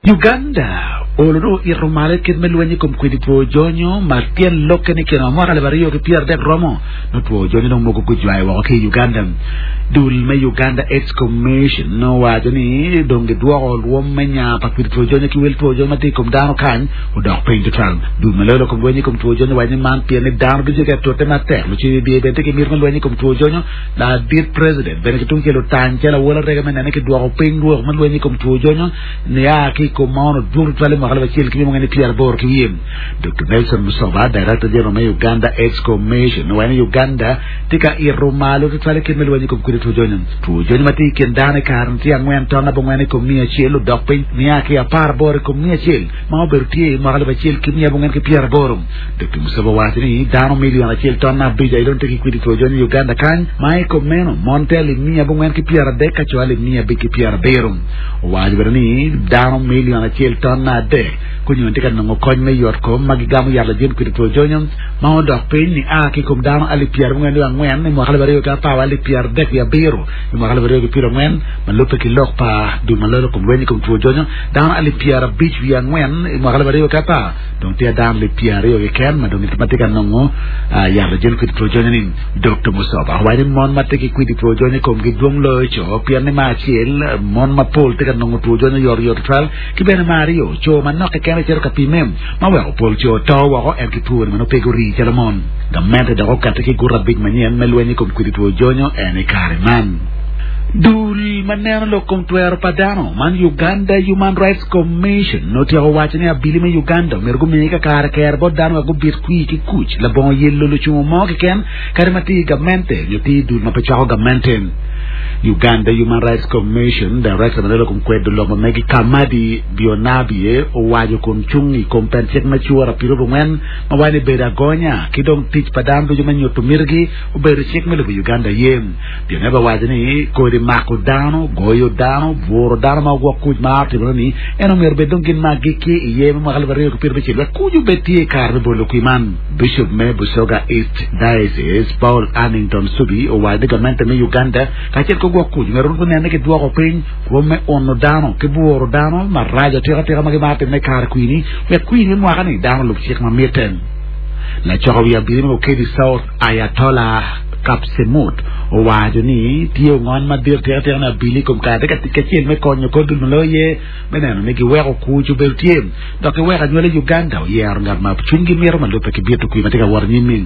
Uganda olo dong oito malo i kit me lweny i kom kwidi two jonyo ma tyen lokke ni kine ma mwaka alip aryo ki pyeraadek romo nongo two jonyo dong mogo gujwayo woko ki i Uganda. Dul me Uganda AIDS Commission owaco ni dong gidwoko lwom me nya pa kwidi two jonyo ki wel two jonyo ma tye i kom dano kany odok piny tutwal. Dul ma loyo lok kom lweny i kom two jonyo owaco ni man pien ni dano gitye ka tute matek lucibi bye bene tye ki miti me lweny i kom two jonyo Ladit President bene ki tungcel otany calo awola rege me nene ki dwoko piny rwok me lweny i kom two jonyo nia ki i kom ma ono dwong tutwal i mwaka alip acel ki miya mukene pyeraboro ki wiye. Doktor Nelson Musoba, Director General me Uganda AIDS Commission owaco ni Uganda tye ka ito malo tutwal i kit me lweny i kom kwidi two jonyo. Two jonyo ma tye i kin dano i kare-ni tye angwen ton abongwen i kom miya acel odok piny nia ki aparaboro i kom miya acel ma obedo tye i mwaka alip acel ki miya abongwen ki pyeraboro. Doktor Musoba owaco ni dano milion acel ton abic aye dong tye ki kwidi two jonyo i Uganda kany ma i kom meno mon tye alip miya abongwen ki pyeradek ka co alip miya abic ki pyerabiro. Owaco bene ni dano milion acel ton adek gunyonyo tye ka nongo kony me yot kom ma gigamo yat lajin kwidi two jonyo ma odok piny nia ki i kom dano alip pyerabongwen wiye angwen i mwaka alip aryo ki apar wa alip pyeradek wiye abiro i mwaka alip aryo ki pyerangwen ma lubbe ki lok pa dul ma loyo kom lweny i kom two jonyo dano alip pyerabic wiye angwen i mwaka alip aryo ki apar Dong tye dano alip pyeraryo keken ma dong ma tye ka nongo yat lajol kwidi two jonyo ni. Dokto Musoba owaco ni mon ma tye ki kwidi two jonyo i komgi dwong loyo co pien ni me acel, mon mapol tye ka nongo two jonyo oyotoyot tutwal ki bene me aryo, co manok keken aye cito ka pimme ma weko pol co to woko en ki two-ni ma nongo pe gurii calo mon. Gamente dok okati ki guti abic manyen me lweny i kom kwidi two jonyo en i kare man. Dul ma neno lok kom twero pa dano man Uganda Human Rights Commission otyeko waco ni abili me Uganda omyero gumi kakare kere bot dano wek gubit kwir ki kuc labongo yelo lucungo mo keken kadi ma tye i gamente nyo tye i dul ma pe cwako gamente. Uganda Human Rights Commission Director ma lelo kom kwedo lok ma megi Kamadi Byonabye owaco kun cung i kom pen cik me cura pirobongwen ma waco ni bedo agonya ki dong tic pa dano ducu me nyuto mitigi obedo cik me lobo Uganda aye. Geneva owaco ni kodi mako dano, goyo dano, bwuro dano ma ogwok kuc ma otimore ni en omyero obed dong gin ma agikki iye me mwaka alip aryo ki pyerabicel wek kuc obed tye i kare me bolo kwir man. Bishop me Busoga East Diocese, Paul Hannington Subi owaco ni gamente me Uganda kacel ki ogwok kuc myero gunen ni gidwoko piny rwom me uno dano ki bwuro dano maraco atika tika ma gimaro timone i kare kwir-ni wek kwir me mwaka-ni dano olub cik ma mitte. Lacoko wi abili me Bukedi South Ayatollah Kapsemut owaco ni tye ongony madit atika tika ni abili i kom kare tye ka tic kacel me konyo kor dul ma loyo ye me neno ni giweko kuc obedo tye dok giweko anywali Uganda oyero ngat ma cwinygi mito ma lubbe ki bito kwir ma tye ka wot anyim-mi.